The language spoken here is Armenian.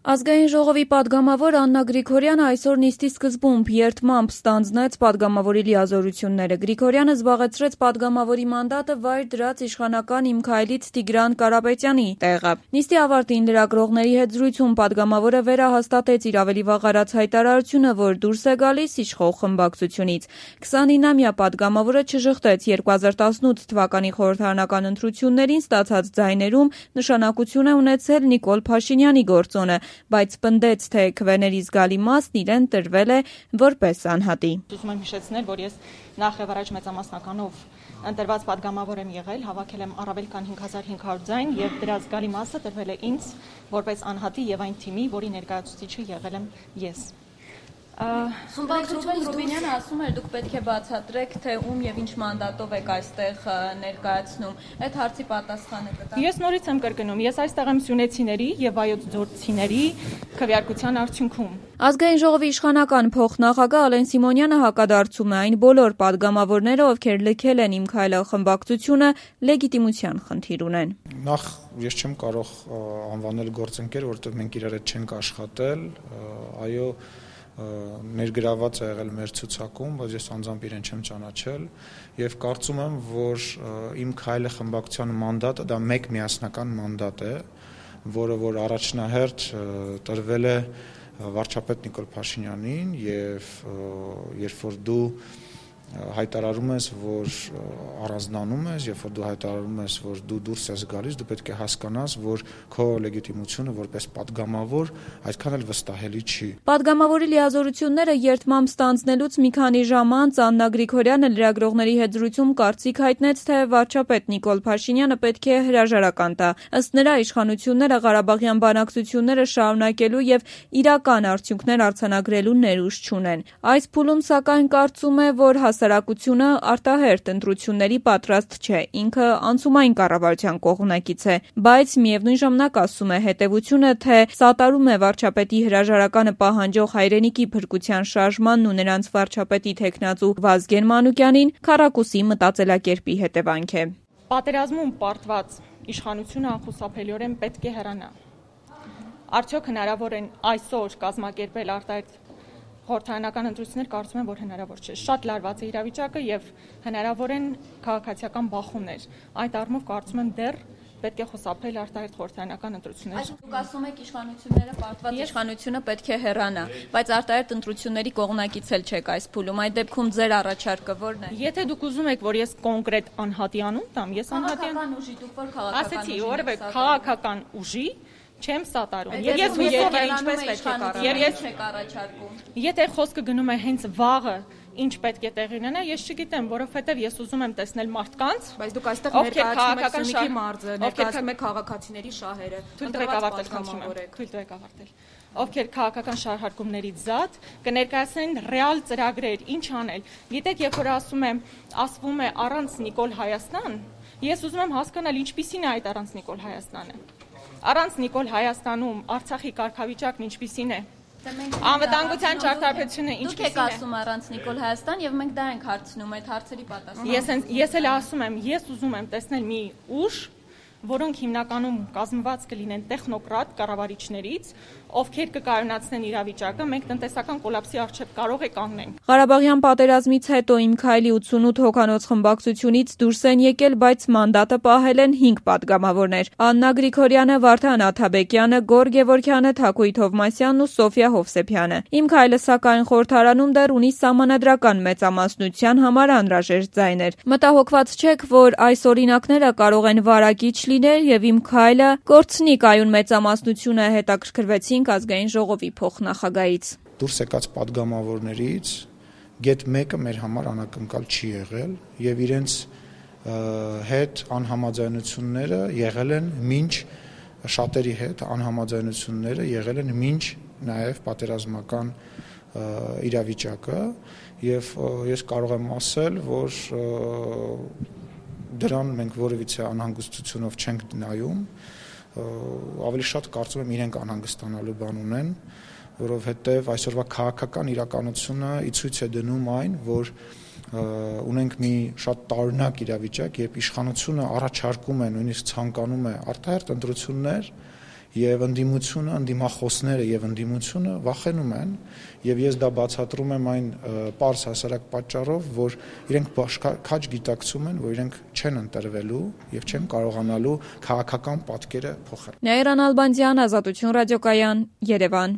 Ազգային ժողովի պատգամավոր Աննա Գրիգորյանը այսօր նիստի սկզբում երդմամբ ստանձնեց պատգամավորի լիազորությունները։ Գրիգորյանը զբաղեցրեց պատգամավորի մանդատը վայր դրած իշխանական Իմ քայլից Տիգրան Կարապետյանի տեղը։ Նիստի ավարտին լրագրողների հետ զրույցում պատգամավորը վերահաստատեց իր ավելի վաղ արած հայտարարությունը, որ դուրս է գալիս իշխող խմբակցությունից։ 29-ամյա պատգամավորը չժխտեց 2018 թվականի խորհրդարանական ընտրություններին ստացած ձայներում նշանակություն է ունեցել Նիկոլ Փաշինյանի գործոնը, բայց պնդեց, թե քվեների զգալի մասն իրեն տրվել է որպես անհատի։ Ուզում եմ հիշեցնել, որ ես նախ եւ առաջ մեծամասնականով ընտրված պատգամավոր եմ եղել, հավաքել եմ առավել քան 5500 ձայն եւ դրա զգալի մասը տրվել է ինձ որպես անհատի եւ այն թիմի, որի ներկայացուցիչը եղել եմ ես։ Խմբակցություն Ռուբինյանը ասում էր, դուք պետք է բացատրեք, թե ում եւ ինչ մանդատով եք այստեղ ներկայացնում։ Այդ հարցի պատասխանը կտա։ Ես նորից եմ կրկնում, ես այստեղ եմ սյունեցիների եւ վայոց ձորցիների քվեարկության արդյունքում։ Ազգային ժողովի իշխանական փոխնախագահ Ալեն Սիմոնյանը հակադարձում է այն բոլոր պատգամավորները, ովքեր լքել են Իմ քայլը խմբակցությունը, լեգիտիմության խնդիր ունեն։ Նախ ես չեմ կարող անվանել գործընկեր, որովհետեւ մենք իրար հետ չենք աշխատել, այո ներգրաված է եղել մեր ցուցակում, բայց ես անձամբ իրեն չեմ ճանաչել եւ կարծում եմ, որ Իմ քայլը խմբակցության մանդատը դա մեկ միասնական մանդատ է, որը որ առաջնահերթ տրվել է վարչապետ Նիկոլ Փաշինյանին եւ երբ որ դու հայտարարում ես, որ առանձնանում ես, երբ որ դու հայտարարում ես, որ դու դուրս ես գալիս, դու պետք է հասկանաս, որ քո լեգիտիմությունը որպես պատգամավոր այդքան էլ վստահելի չի։ Պատգամավորի լիազորությունները երդմամբ ստանձնելուց մի քանի ժամ անց Աննա Գրիգորյանը լրագրողների հետ զրույցում կարծիք հայտնեց, թե վարչապետ Նիկոլ Փաշինյանը պետք է հրաժարական տա։ Ըստ նրա, իշխանությունները Ղարաբաղյան բանակցությունները շարունակելու եւ իրական արդյունքներ արձանագրելու ներուժ չունեն։ Այս փուլում սակայն կարծում է, որ հասարակությունը արտահերթ ընտրությունների պատրաստ չէ, ինքը անցումային կառավարության կողմնակից է, բայց միևնույն ժամանակ ասում է հետևությունը, թե սատարում է վարչապետի հրաժարականը պահանջող հայրենիքի փրկության շարժմանն ու նրանց վարչապետի թեկնածու Վազգեն Մանուկյանին քառակուսի մտածելակերպի հետևանք է։ Պատերազմում պարտված իշխանությունը անխուսափելիորեն պետք է հեռանա։ Արդյոք հնարավոր է այսօր կազմակերպել արտահերթ խորհրդարանական ընտրություններ, կարծում եմ, որ հնարավոր չէ։ Շատ լարված է իրավիճակը եւ հնարավոր են քաղաքացիական բախումներ։ Այդ առումով կարծում եմ դեռ պետք է խուսափել արտահերթ խորհրդարանական ընտրություններ։ Դուք ասում եք իշխանությունները պարտված իշխանությունը պետք է հեռանա, բայց արտահերթ ընտրությունների կողմնակից էլ չեք այս փուլում։ Այդ դեպքում ձեր առաջարկը ո՞րն է։ Եթե դուք ուզում եք, որ ես կոնկրետ անհատի անուն տամ, ես անհատական ուժի, դուք որ քաղաքական ուժի, որևէ քաղաքական ուժի չեմ սատարում։ Եվ ես ինչպես պետք է կառաջարկում։ Եթե խոսքը գնում է հենց վաղը ինչ պետք է տեղի ունենա, ես չգիտեմ, որովհետև ես ուզում եմ տեսնել մարդկանց, բայց դուք այստեղ ներկայացնում եք Սյունիքի մարզը, ներկայացնում եք քաղաքացիների շահերը, թույլ տվեք ավարտել։ Ովքեր քաղաքական շահարկումներից զատ կներկայացնեն ռեալ ծրագրեր, ինչ անել։ Գիտեք, երբ որ ասվում է առանց Նիկոլ Հայաստան, ես ուզում եմ հասկանալ ինչպիսին է այդ առանց Նիկոլ Հայաստանը։ Առանց Նիկոլ Հայաստանում Արցախի կարգավիճակն ինչպիսին է։ Անվտանգության ճարտարապետությունը ինչպիսին է։ Դուք եք ասում առանց Նիկոլ Հայաստան եւ մենք դա ենք հարցնում, այդ հարցերի պատասխանը։ Ես էլ ասում եմ, ես ուզում եմ տեսնել մի ուժ, որոնք հիմնականում կազմված կլինեն տեխնոկրատ կառավարիչներից, ովքեր կկայունացնեն իրավիճակը, մենք տնտեսական կոլապսի առջև կարող է կանգնենք։ Ղարաբաղյան պատերազմից հետո Իմ քայլի 88 հոգանոց խմբակցությունից դուրս են եկել, բայց մանդատը պահել են 5 պատգամավորներ։ Աննա Գրիգորյանը, Վարդան Աթաբեկյանը, Գոր Գևորգյանը, Թակույթ Հովմասյանն ու Սոֆիա Հովսեփյանը։ Իմ քայլը սակայն խորհրդարանում դեռ ունի սահմանադրական մեծամասնության համար անհրաժեշտ ձայներ։ Մտահոգված չեք, որ այս օրինակները կարող են վարակիչ լինել եւ Իմ քայլը կորցնի կայուն մեծամասնությունը, հետաքրքրվեցին Ազգային ժողովի փոխնախագահից։ Դուրս եկած պատգամավորներից գեթ մեկը մեր համար անակնկալ չի եղել եւ իրենց հետ անհամաձայնությունները եղել են մինչ շատերի հետ անհամաձայնությունները եղել են մինչ նաեւ պատերազմական իրավիճակը եւ ես կարող եմ ասել, որ դրան մենք որևիցե անհանգստությունով չենք նայում, ավելի շատ կարծում եմ իրենք անհանգստանալու բան ունեն, որովհետև այսօրվա քաղաքական իրականությունը ի ցույց է դնում այն, որ ունենք մի շատ տարօրինակ իրավիճակ, երբ իշխանությունը առաջարկում է, նույնիսկ ցանկանում է արտահերթ ընտրություններ եւ ընդդիմությունը, ընդդիմախոսները եւ ընդդիմությունը վախենում են եւ ես դա բացատրում եմ այն պարզ հասարակ պատճառով, որ իրենք քաջ գիտակցում են, որ իրենք չեն ընտրվելու եւ չեն կարողանալու քաղաքական պատկերը փոխել։ Նաիրա Նալբանդյան, Ազատություն ռադիոկայան, Երևան։